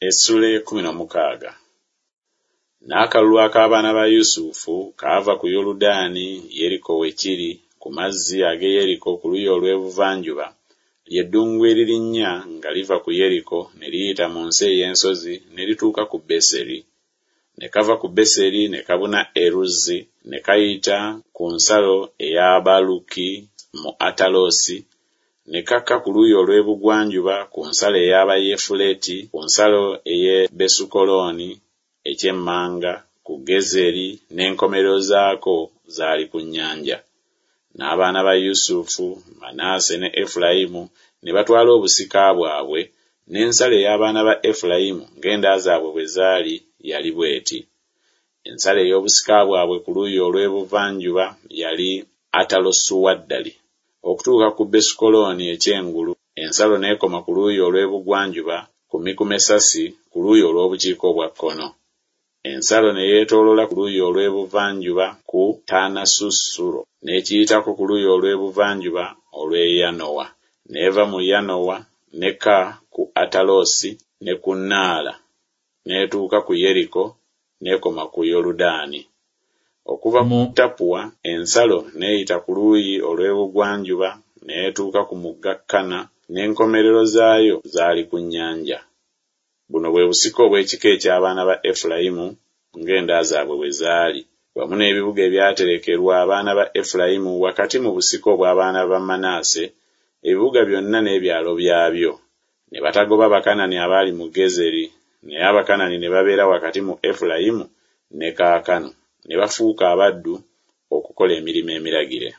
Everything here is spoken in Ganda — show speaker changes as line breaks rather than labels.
Essula ey'ekkuminomukaaga. N'akalulu ak'abaana ba Yusufu kaava ku Yoludaani, Yeriko we kiri, ku mazzi ag'e Yeriko ku luuyi olw'ebuvanjuba, lye ddungu eririnnya nga liva ku Yeriko ne liyita mu nsi ey'ensozi ne lituuka ku Beseri. Ne kava ku Beseri ne kabuna e Luzi ne kayita ku nsalo ey'Abaluki mu Atalosi, ne kakka ku luuyi olw'ebugwanjuba ku nsalo ey'Abayefuleti, ku nsalo ey'e Besukolooni eky'emmanga, ku Gezeri, n'enkomerero zaako zaali ku nnyanja. N'abaana ba Yusufu, Manase ne Efulayimu ne batwala obusika bwabwe, n'ensalo ey'abaana ba Efulayimu ng'enda zaabwe bwe zaali yali bw'eti. Ensalo ey'obusika bwabwe ku luuyi olw'ebuvanjuba yali Atalosuaddali okutuuka ku Besukolooni eky'engulu, ensalo n'ekoma ku luuyi olw'ebugwanjuba ku Mikumesasi ku luuyi olw'obukiika obwa kkono. Ensalo ne yeetooloola ku luuyi olw'ebuvanjuba ku Taanasusuro, n'ekiyitako ku luuyi olw'ebuvanjuba olw'e Yanoa, n'eva mu Yanoa n'ekka ku Atalosi ne ku Naala, n'etuuka ku Yeriko n'ekoma ku Yoludaani. Okuva mu Tappua ensalo n'eyita ku luuyi olw'ebugwanjuba n'etuuka ku mugga Kana, n'enkomerero zaayo zaali ku nnyanja. Buno bwe busika obw'ekika eky'abaana ba Efulayimu ng'enda zaabwe bwe zaali, wamu n'ebibuga ebyaterekerwa abaana ba Efulayimu wakati mu busika obw'abaana ba Manase, ebibuga byonna n'ebyalo byabyo. Ne batagoba Bakanani abaali mu Gezeri, naye Abakanani ne babeera wakati mu Efulayimu ne kaakano, ne bafuuka abaddu okukola emirimu emiragire.